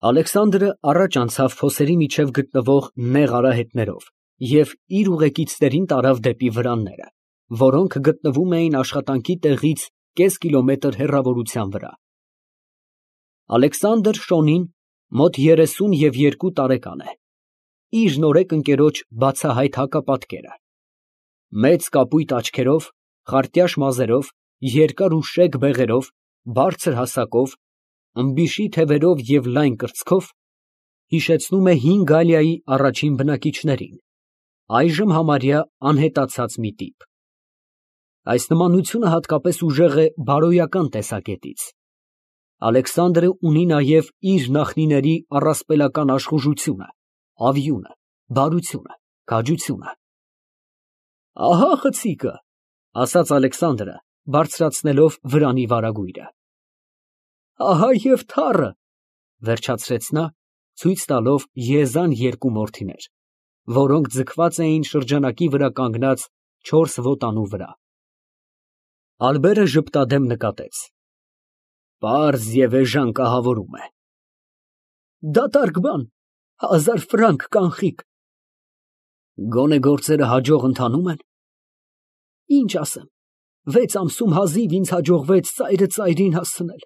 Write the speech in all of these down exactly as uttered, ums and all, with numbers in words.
Ալեքսանդրը առաջ անցավ փոսերի միջև գտնվող նեղ արահետներով և իր ուղեկիցներին տարավ դեպի վրանները, որոնք գտնվում էին աշխատանքի տեղից կես կիլոմետր հեռավորության վրա։ Ալեքսանդր Շոնին մոտ երեսուն և երկու տարեկան է, իր նորեկ ընկերոջ բացահայտ հակապատկերը, մեծ կապույտ աչքերով, խարտյաշ մազերով, երկար ու շեկ բեղերով, բարձր հասակով, ըմբիշի թևերով և լայն կրծքով, հիշեցնում է հին Գալիայի առաջին բնակիչներին, այժմ համարյա անհետացած մի տիպ։ Այս նմանությունը հատկապես ուժեղ է բարոյական տեսակետից։ Ալեքսանդրը ունի նաև իր նախնիների առասպելական աշխուժությունը, ավյունը, բարությունը, քաջությունը։ Ահա խցիկը, ֊ ասաց Ալեքսանդրը, բարձրացնելով վրանի վարագույրը։ Ահա և թառը, ֊ վերջացրեց նա, ցույց տալով եզան երկու մորթիներ, որոնք ձգված էին շրջանակի վրա կանգնած չորս ոտանու վրա։ Ալբերը ժպտադեմ նկատեց. Պարզ և էժան կահավորում է։ Դատարկ բան, հազար ֆրանկ կանխիկ։ Գոնե գործերը հաջող ընթանո՞ւմ են։ Ինչ ասեմ, վեց ամսում հազիվ ինձ հաջողվեց ծայրը ծայրին հասցնել։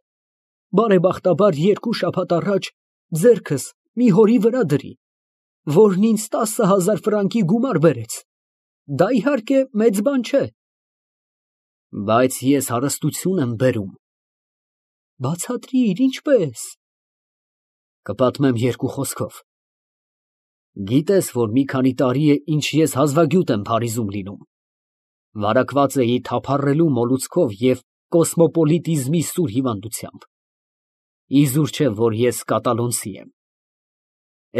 Բարեբախտաբար երկու շաբաթ առաջ ձեռքս մի հորի վրա դրի, որն ինձ տասը հազար ֆրանկի գումար բերեց։ Դա, իհարկե, մեծ բան չէ։ Բայց ես հարստություն եմ բերում։ Բացատրիր, ինչպե՞ս։ Կպատմեմ երկու խոսքով։ Գիտես, որ մի քանի տարի է, ինչ ես հազվագյուտ եմ Փարիզում լինում։ Վարակված էի թափառելու մոլուցքով և կոսմոպոլիտիզմի սուր հիվանդությամբ։ Իզուր չէ, որ ես կատալոնցի եմ։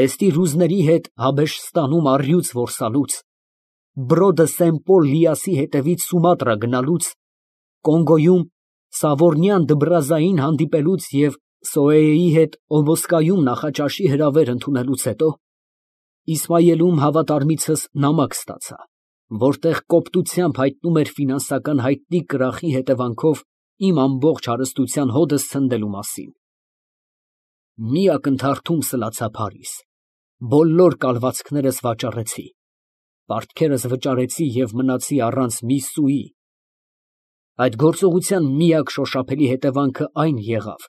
Էստի ռուզների հետ Հաբեշստանում առյուծ որսալուց, բրոդը Սեն֊Պոլ Լիասի հետևից Սումատրա գնալուց, Կոնգոյում Սավոռնյան Դբրազային հանդիպելուց և Սոեյի հետ Օբոսկայում նախաճաշի հրավեր ընդունելուց հետո Իսմայելում հավատարմիցս նամակ ստացա, որտեղ կոպտությամբ հայտնում էր ֆինանսական հայտնի կրախի հետևանքով իմ ամբողջ հարստության հօդս ցնդելու մասին։ Մի ակնթարթում սլացա Փարիզ, բոլոր կալվածքներս վաճառեցի, պարտքերս վճարեցի և մնացի առանց մի սուի։ Այդ գործողության միակ շոշափելի հետևանքը այն եղավ,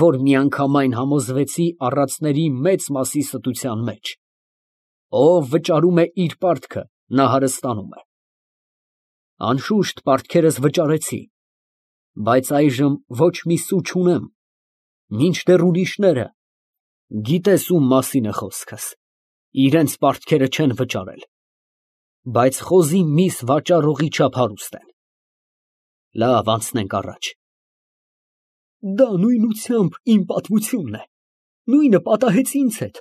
որ միանգամայն համոզվեցի առածների մեծ մասի ստության մեջ։ Ով վճարում է իր պարտքը, նա հարստանում է։ Անշուշտ պարտքերս վճարեցի, բայց այժմ ոչ մի սու չունեմ, մինչդեռ ուրիշները, գիտես ում մասին է խոսքս, իրենց պարտքերը չեն վճարել, բայց խոզի միս վաճառողի չափ հարուստ են։ Լավ, անցնենք առաջ։ Դա նույնությամբ իմ պատմությունն է, նույնը պատահեց ինձ հետ։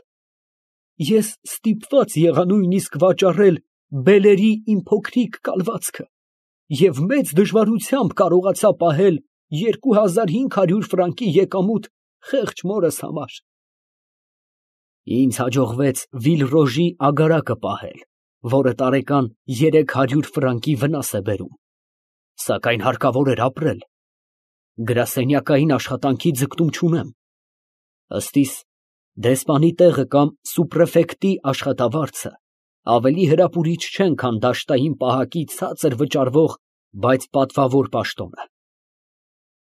Ես ստիպված եղա նույնիսկ վաճառել բելերի իմ փոքրիկ կալվածքը և մեծ դժվարությամբ կարողացա պահել երկու հազար հինգ հարյուր ֆրանկի եկամուտ խեղճ մորս համար։ Ինձ հաջողվեց Վիլռոժի ագարակը պահել, որը տարեկան երեք հարյուր ֆրանկի վնաս է բերում, սակայն հարկավոր էր ապրել։ Գրասենյակային աշխատանքի ձգտում չունեմ։ Ըստ իս, դեսպանի տեղը կամ սուպրեֆեկտի աշխատավարձը ավելի հրապուրիչ չեն, քան դաշտային պահակի ցածր վճարվող, բայց պատվավոր պաշտոնը։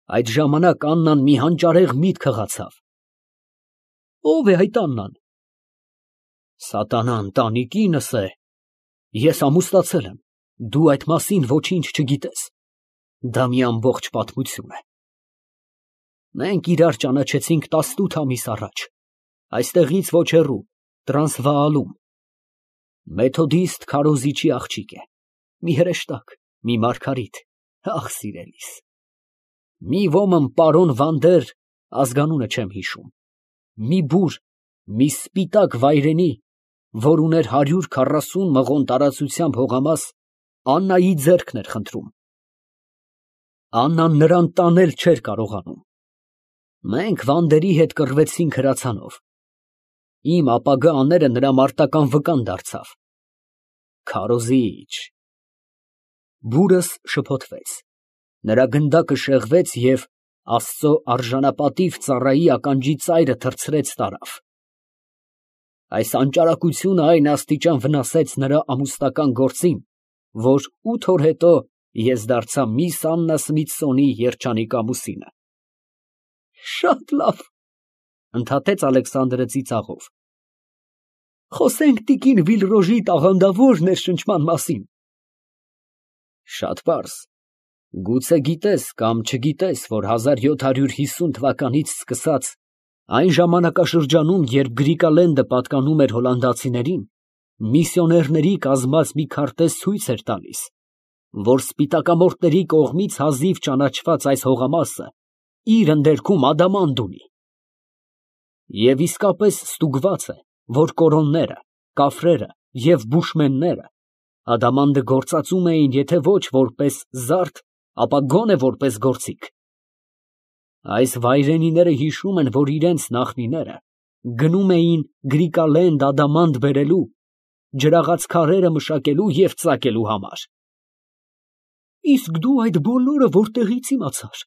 Այդ ժամանակ Աննան մի հանճարեղ միտք հղացավ։ Ո՞վ է այդ Աննան։ Սատանա ընտանիքինս է։ Ես ամուսնացել եմ, դու այդ մասին ոչինչ չգիտես։ Դա մի ամբողջ պատմություն է։ Մենք իրար ճանաչեցինք տասնութ ամիս առաջ, այստեղից ոչ հեռու, Տրանսվաալում։ Մեթոդիստ քարոզիչի աղջիկ է, մի հրեշտակ, մի մարգարիտ, ախ, սիրելիս։ Մի ոմն պարոն Վանդեր, ազգանունը չեմ հիշում, մի բուր, մի սպիտակ վայրենի, որ ուներ հարյուր քառասուն մղոն տարածությամբ հողամաս, Աննայի ձեռքն էր խնդրում։ Աննան նրան տանել չէր կարողանում։ Մենք Վանդերի հետ կռվեցինք հրացանով։ Իմ ապագա աները նրա մարտական վկան դարձավ։ Քարոզիչ։ Բուրս շփոթվեց, նրա գնդակը շեղվեց և Աստծո արժանապատիվ ծառայի ականջի ծայրը թռցրեց տարավ։ Այս անճարակությունը այն աստիճան վնասեց նրա ամուսնական գործին, որ ութ օր հետո ես դարձա միս Աննա Սմիթսոնի երջանիկ ամուսինը։ Շատ լավ, ընդհատեց Ալեքսանդրը ծիծաղով։ Խոսենք տիկին Վիլրոժի տաղանդավոր ներշնչման մասին։ Շատ պարզ։ Գուցե գիտես կամ չգիտես, որ հազար յոթ հարյուր հիսուն թվականից սկսած այն ժամանակաշրջանում, երբ Գրիկալենդը պատկանում էր հոլանդացիներին, միսիոներների կազմած մի քարտեզ ցույց էր տալիս, որ սպիտակամորտների կողմից հազիվ ճանաչված այս հողամասը իր ընդերքում ադամանդ ունի։ Եվ իսկապես ստուգված է, որ կորոնները, կաֆրերը և բուշմենները ադամանդը գործածում էին եթե ոչ որպես զարդ, ապա գոնե որպես գործիք։ Այս վայրենիները հիշում են, որ իրենց նախնիները գնում էին Գրիկալենդ ադամանդ բերելու, ջրաղաց քարերը մշակելու և ծակելու համար։ Իսկ դու այդ բոլորը որտեղից իմացար,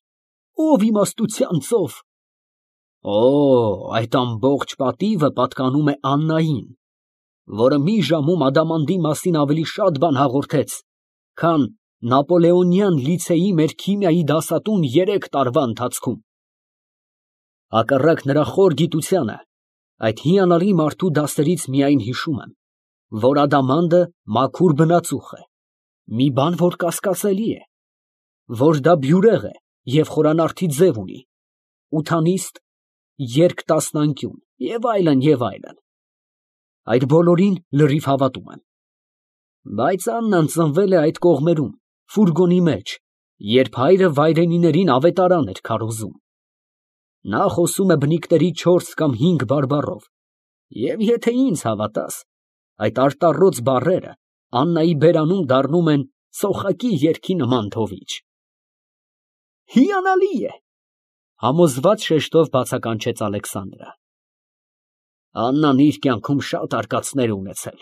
ով իմաստության ծով։ Օ, այդ ամբողջ պատիվը պատկանում է Աննային, որը մի ժամում ադամանդի մասին ավելի շատ բան հաղորդեց, քան Նապոլեոնյան լիցեի մեր քիմիայի դասատուն երեք տարվա ընթացքում։ Հակառակ նրա խոր գիտությանը, այդ հիանալի մարդու դասերից միայն հիշում եմ, որ ադամանդը մաքուր բնածուխ է, մի բան, որ կասկածելի է, որ դա բյուրեղ է և խորանարդի ձև ունի, ութանիստ, երկտասնանկյուն և այլն, և այլն։ Այդ բոլորին լրիվ հավատում եմ։ Բայց Աննան ծնվել է այդ կողմերում, ֆուրգոնի մեջ, երբ հայրը վայրենիներին ավետարան էր քարոզում։ Նա խոսում է բնիկների չորս կամ հինգ բարբառով, և եթե ինձ հավատաս, այդ արտառոց բառերը Աննայի բերանում դառնում են սոխակի երգի նման թովիչ։ Հիանալի է, համոզված շեշտով բացականչեց Ալեքսանդրը։ Աննան իր կյանքում շատ արկածներ է ունեցել։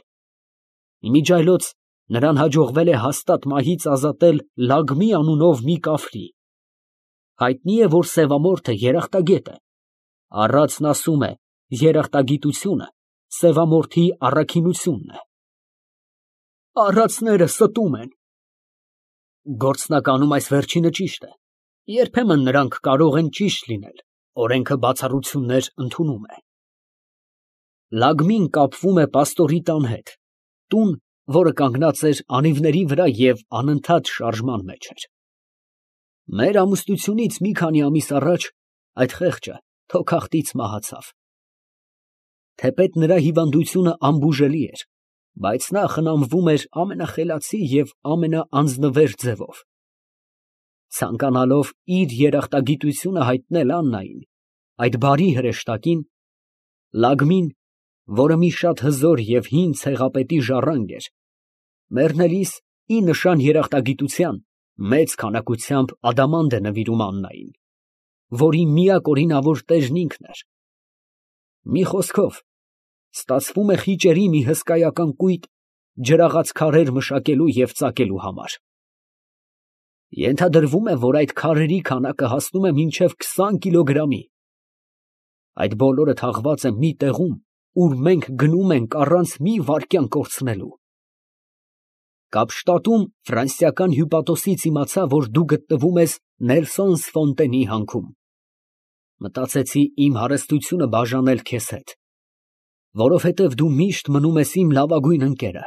Իմիջիայլոց նրան հաջողվել է հաստատ մահից ազատել Լագմի անունով մի կաֆրի։ Հայտնի է, որ սևամորթը երախտագետ է։ Առածն ասում է, երախտագիտությունը սևամորթի առաքինությունն է։ Առածները ստում են։ Գործնականում այս վերջինը ճիշտ է։ Երբեմն նրանք կարող են ճիշտ լինել, օրենքը բացառություններ ընդունում է։ Լագմին կապվում է պաստորի տան հետ, տուն, որը կանգնած էր անիվների վրա և անընդհատ շարժման մեջ էր։ Մեր ամուսնությունից մի քանի ամիս առաջ այդ խեղճը թոքախտից մահացավ։ Թեպետ նրա հիվանդությունը անբուժելի էր, բայց նա խնամվում էր ամենախելացի և ամենաանձնվեր ձևով։ Ցանկանալով իր երախտագիտությունը հայտնել Աննային, այդ բարի հրեշտակին, Լագմին, որը մի շատ հզոր և հին ցեղապետի ժառանգ էր, մեռնելիս ի նշան երախտագիտության մեծ քանակությամբ ադամանդ է նվիրում Աննային, որի միակ օրինավոր տերն ինքն էր։ Մի խոսքով, ստացվում է խիճերի մի հսկայական կույտ ջրաղաց քարեր մշակելու և ծակելու համար։ Ենթադրվում է, որ այդ քարերի քանակը հասնում է մինչև քսան կիլոգրամի։ Այդ բոլորը թաղված է մի տեղում, ուր մենք գնում ենք առանց մի վայրկյան կորցնելու։ Կապշտատում ֆրանսիական հյուպատոսից իմացա, որ դու գտնվում ես Նելսոնս Ֆոնտենի հանքում։ Մտածեցի իմ հարստությունը բաժանել քեզ հետ, որովհետև դու միշտ մնում ես իմ լավագույն ընկերը,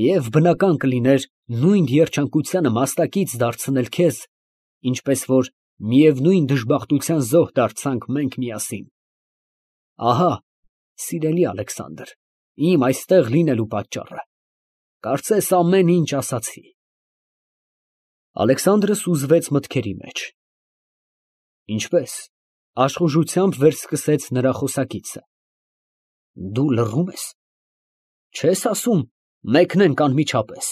և բնական կլիներ նույն երջանկությանը մասնակից դարձնել քեզ, ինչպես որ միևնույն դժբախտության զոհ դարձանք մենք միասին։ Ահա, սիրելի Ալեքսանդր, իմ այստեղ լինելու պատճառը։ Կարծես ամեն ինչ ասացի։ Ալեքսանդրը սուզվեց մտքերի մեջ։ Ինչպե՞ս, աշխուժությամբ վերսկսեց նրա խոսակիցը։ Դու լռում ես։ Չես ասում մեկնենք անմիջապես։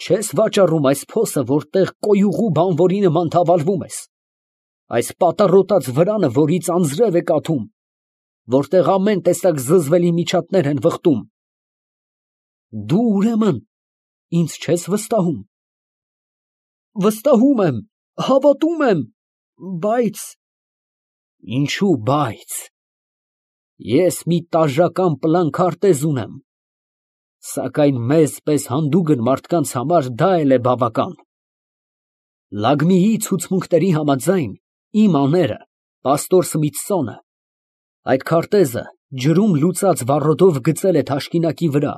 Չես վաճառում այս փոսը, որտեղ կոյուղու բանվորի նման թավալվում ես, այս պատառոտած վրանը, որից անձրև է կաթում, որտեղ ամեն տեսակ զզվելի միջատներ են վխտում։ Դու, ուրեմն, ինձ չես վստահում։ Վստահում եմ, հավատում եմ, Բայց… Ինչո՞ւ բայց։ Ես մի տաժժական պլան քարտեզ ունեմ, սակայն մեզ պես հանդուգն մարդկանց համար դա էլ է բավական։ Լագմիի ցուցմունքների համաձայն, իմ աները, պաստոր Սմիթսոնը, այդ քարտեզը ջրում լուծած վառոդով գծել է թաշկինակի վրա,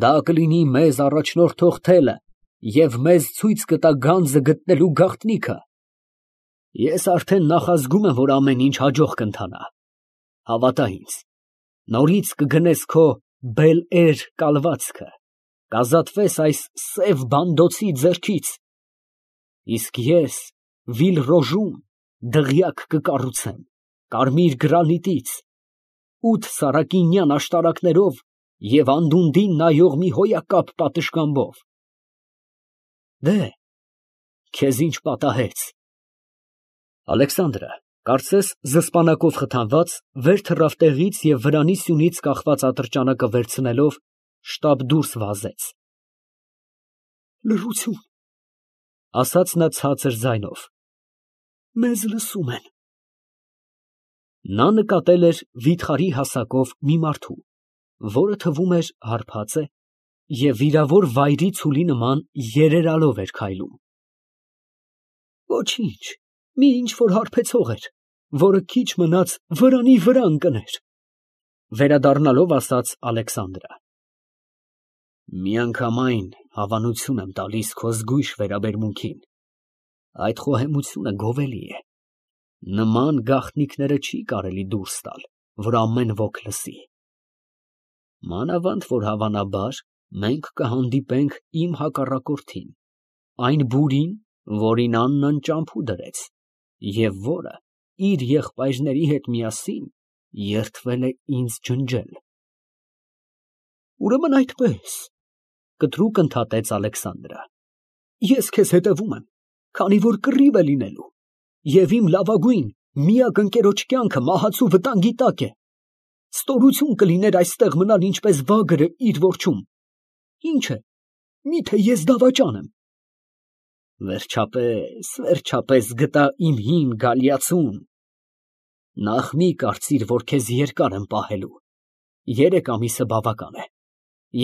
դա կլինի մեզ առաջնորդող թելը և մեզ ցույց կտա գանձը գտնելու գաղտնիքը։ Ես արդեն նախազգում եմ, որ ամեն ինչ հաջող կընթանա։ Հավատա ինձ, նորից կգնես քո Բել֊Էր կալվածքը, կազատվես այս սև բանդոցի ձեռքից, իսկ ես Վիլ֊Ռոժում դղյակ կկառուցեմ կարմիր գրանիտից, ութ սարակինյան աշտարակներով և անդունդին նայող մի հոյակապ պատշգամբով։ Դե, քեզ ինչ պատահեց։ Ալեքսանդրը, կարծես զսպանակով խթանված, վեր թռավ տեղից և վրանի սյունից կախված ատրճանակը վերցնելով, շտապ դուրս վազեց։ Լռություն, ասաց նա ցածր ձայնով, մեզ լսում են։ Նա նկատել էր վիթխարի հասակով մի մարդու, որը թվում էր հարբած է և վիրավոր վայրի ցուլի նման երերալով էր քայլում։ Ոչինչ, մի ինչ֊որ հարբեցող էր, որը քիչ մնաց վրանի վրա ընկներ, վերադառնալով ասաց Ալեքսանդրը։ Միանգամայն հավանություն եմ տալիս քո զգույշ վերաբերմունքին, այդ խոհեմությունը գովելի է, նման գաղտնիքները չի կարելի դուրս տալ, որ ամեն ոք լսի։ Մանավանդ, որ հավանաբար մենք կհանդիպենք իմ հակառակորդին, այն բուրին, որին Աննան ճամփու դրեց, և որը իր եղբայրների հետ միասին երդվել է ինձ ջնջել։ Ուրեմն այդպես, կտրուկ ընդհատեց Ալեքսանդրը, ես քեզ հետևում եմ, քանի որ կռիվ է լինելու, և իմ լավագույն, միակ ընկերոջ կյանքը մահացու վտանգի տակ է։ Ստորություն կլիներ այստեղ մնալ ինչպես վագրը իր որջում։ Ինչ է, միթե ես դավաճան եմ։ Վերջապես, վերջապես գտա իմ հին գալիացուն։ Նախ մի կարծիր, որ քեզ երկար եմ պահելու, երեք ամիսը բավական է,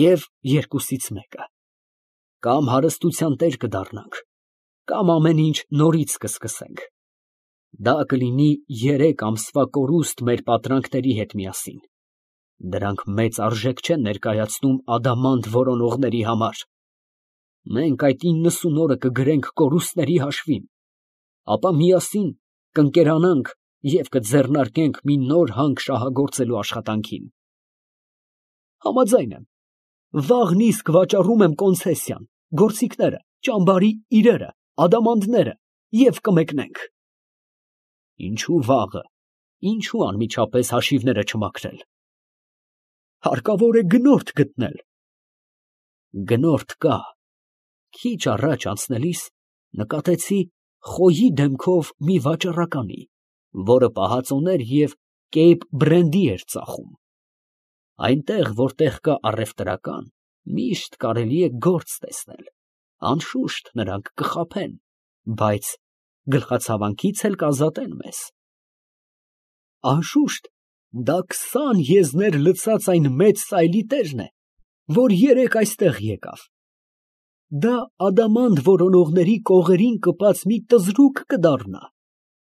և երկուսից մեկը, կամ հարստության տեր կդառնանք, կամ ամեն ինչ նորից կսկսենք։ Դա կլինի երեք ամսվա կորուստ մեր պատրանքների հետ միասին, դրանք մեծ արժեք չեն ներկայացնում ադամանդ որոնողների համար։ Մենք այդ իննսուն օրը կգրենք կորուստների հաշվին, ապա միասին կընկերանանք և կձեռնարկենք մի նոր հանք շահագործելու աշխատանքին։ Համաձայն եմ, վաղն իսկ վաճառում եմ կոնցեսիան, գործիքները, ճամբարի իրերը, ադամանդները և կմեկնենք։ Ինչու վաղը, ինչու անմիջապես հաշիվները չմաքրել։ Հարկավոր է գնորդ գտնել։ Գնորդ կա։ Քիչ առաջ անցնելիս նկատեցի խոյի դեմքով մի վաճառականի, որը պահածոներ և Կեյպ Բրենդի էր ծախում։ Այնտեղ, որտեղ կա առևտրական, միշտ կարելի է գործ տեսնել, անշուշտ նրանք կխաբեն, բայց գլխացավանքից էլ կազատեն մեզ։ Անշուշտ, դա քսան եզներ լցած այն մեծ սայլի տերն է, որ երեկ այստեղ եկավ։ Դա ադամանդ որոնողների կողերին կպած մի տզրուկ կդառնա,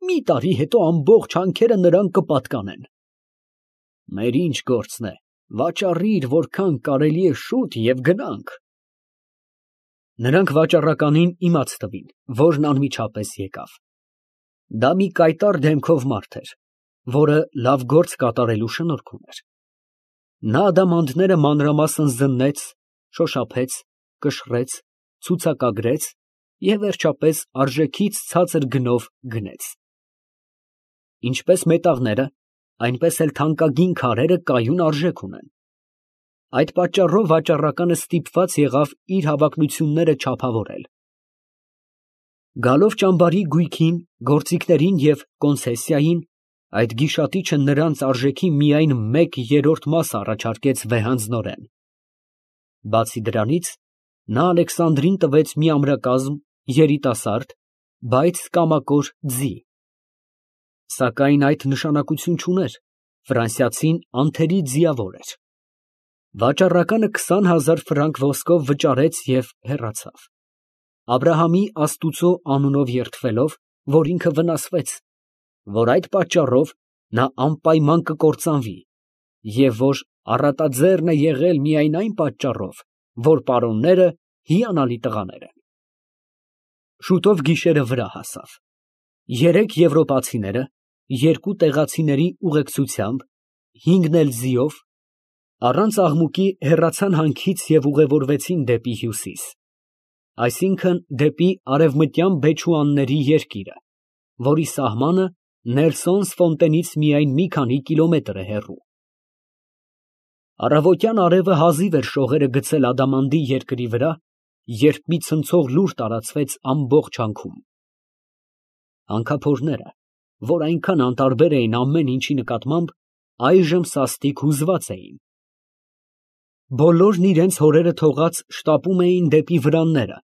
մի տարի հետո ամբողջ հանքերը նրան կպատկանեն։ Մեր ինչ գործն է, վաճառիր, որքան կարելի է շուտ և գնանք։ Նրանք վաճառականին իմաց տվին, որն անմիջապես եկավ։ Դա մի կայտառ դեմքով մարդ էր, որը լավ գործ կատարելու շնորք ուներ։ Նա ադամանդները մանրամասն զննեց, շոշափեց, կշռեց, ցուցակագրեց և վերջապես արժեքից ցածր գնով գնեց։ Ինչպես մետաղները, այնպես էլ թանկագին քարերը կայուն արժեք ունեն։ Այդ պատճառով վաճառականը ստիպված եղավ իր հավակնությունները չափավորել։ Գալով ճամբարի գույքին, գործիքներին և կոնցեսիային, այդ գիշատիչը նրանց արժեքի միայն մեկ երրորդ մասը առաջարկեց վեհանձնորեն։ Բացի դրանից, նա Ալեքսանդրին տվեց մի ամրակազմ երիտասարդ, բայց կամակոր ձի, Սակայն այդ նշանակություն չուներ, ֆրանսիացին անթերի ձիավոր էր։ Վաճառականը քսան հազար ֆրանկ ոսկով վճարեց և հեռացավ, Աբրահամի աստուծո անունով երդվելով, որ ինքը վնասվեց, որ այդ պատճառով նա անպայման կկործանվի և որ առատաձեռն է եղել միայն այն պատճառով, որ պարոնները հիանալի տղաներ են։ Շուտով գիշերը վրա հասավ։ Երեք եվրոպացիները երկու տեղացիների ուղեկցությամբ, հինգն էլ ձիով, առանց աղմուկի հեռացան հանքից և ուղևորվեցին դեպի հյուսիս, այսինքն՝ դեպի արևմտյան Բեչուանների երկիրը, որի սահմանը Նելսոնս Ֆոնտենից միայն մի քանի կիլոմետր է հեռու։ Առավոտյան արևը հազիվ էր շողերը գցել ադամանդի երկրի վրա, երբ մի ցնցող լուր տարածվեց ամբողջ հանքում։ Հանքափորները, որ այնքան անտարբեր էին ամեն ինչի նկատմամբ, այժմ սաստիկ հուզված էին։ Բոլորն իրենց հորերը թողած շտապում էին դեպի վրանները,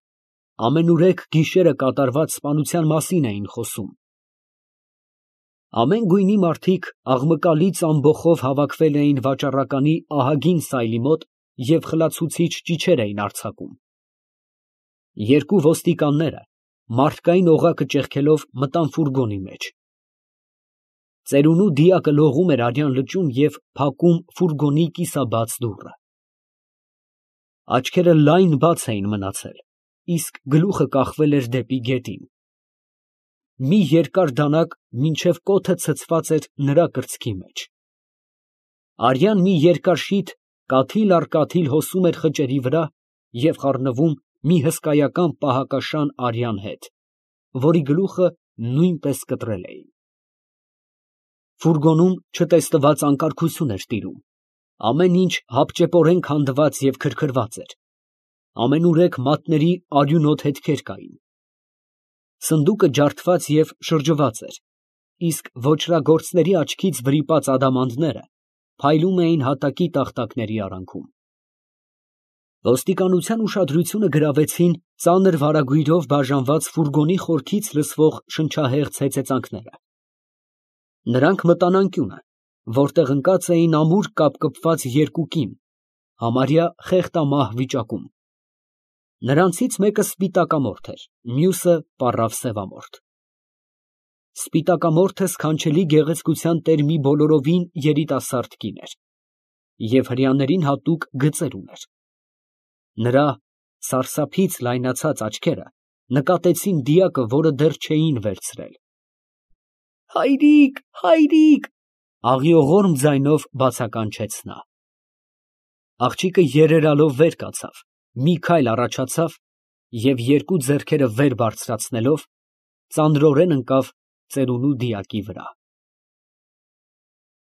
ամենուրեք գիշերը կատարված սպանության մասին էին խոսում։ Ամեն գույնի մարդիկ աղմկալից ամբոխով հավաքվել էին վաճառականի ահագին սայլի մոտ և խլացուցիչ ճիչեր էին արձակում։ Երկու ոստիկանները, մարդկային օղակը ճեղքելով, մտան ֆուրգոնի մեջ։ Ծերունու դիակը լողում էր արյան լճում և փակում ֆուրգոնի կիսաբաց դուռը։ Աչքերը լայն բաց էին մնացել, իսկ գլուխը կախվել էր դեպի գետին։ Մի երկար դանակ մինչև կոթը ցցված էր նրա կրծքի մեջ։ Արյան մի երկար շիթ կաթիլ առ կաթիլ հոսում էր խճերի վրա և խառնվում մի հսկայական պահակաշան արյան հետ, որի գլուխը նույնպես կտրել էին։ Ֆուրգոնում չտեսնված անկարգություն էր տիրում, ամեն ինչ հապճեպորեն քանդված և քրքրված էր, ամենուրեք մատների արյունոտ հետքեր կային։ Սնդուկը ջարդված և շրջված էր, իսկ ոճրագործների աչքից վրիպած ադամանդները փայլում էին հատակի տախտակների արանքում։ Ոստիկանության ուշադրությունը գրավեցին ծանր վարագույրով բաժանված ֆուրգոնի խորքից լսվող շնչահեղձ հեծեծանքները։ Նրանք մտան անկյունը, որտեղ ընկած էին ամուր կապկպված երկու կին, համարյա խեղդամահ վիճակում։ Նրանցից մեկը սպիտակամորթ էր, մյուսը պառավ սևամորթ։ Սպիտակամորթը սքանչելի գեղեցկության տեր մի բոլորովին երիտասարդ կին էր և հրեաներին հատուկ գծեր ուներ։ Նրա սարսափից լայնացած աչքերը նկատեցին դիակը, որը դեռ չէին վերցրել։ «Հայրիկ, հայրիկ», աղիողորմ ձայնով բացականչեց նա։ Աղջիկը երերալով վեր կացավ, մի քայլ առաջացավ և երկու ձեռքերը վեր բարձրացնելով ծանրորեն ընկավ ծերունու դիակի վրա։